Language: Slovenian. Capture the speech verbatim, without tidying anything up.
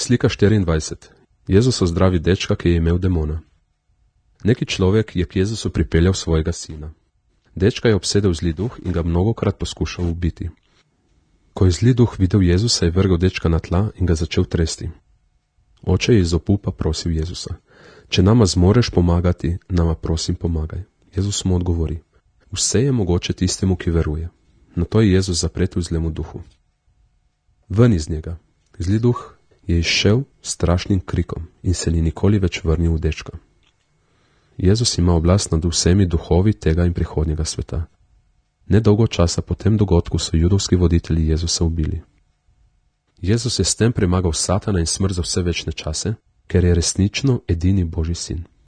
Slika štiriindvajset. Jezus ozdravi dečka, ki je imel demona. Neki človek je k Jezusu pripeljal svojega sina. Dečka je obsedel zli duh in ga mnogokrat poskušal ubiti. Ko je zli duh videl Jezusa, je vrgel dečka na tla in ga začel tresti. Oče je iz opupa prosil Jezusa: če nama zmoreš pomagati, nama prosim pomagaj. Jezus mu odgovori: vse je mogoče tistemu, ki veruje. Nato je Jezus zapretil zlemu duhu. Ven iz njega. Zli duh je izšel s strašnim krikom in se ni nikoli več vrnil v dečka. Jezus ima oblast nad vsemi duhovi tega in prihodnjega sveta. Nedolgo časa po tem dogodku so judovski voditelji Jezusa ubili. Jezus je s tem premagal Satana in smrt za vse večne čase, ker je resnično edini Božji sin.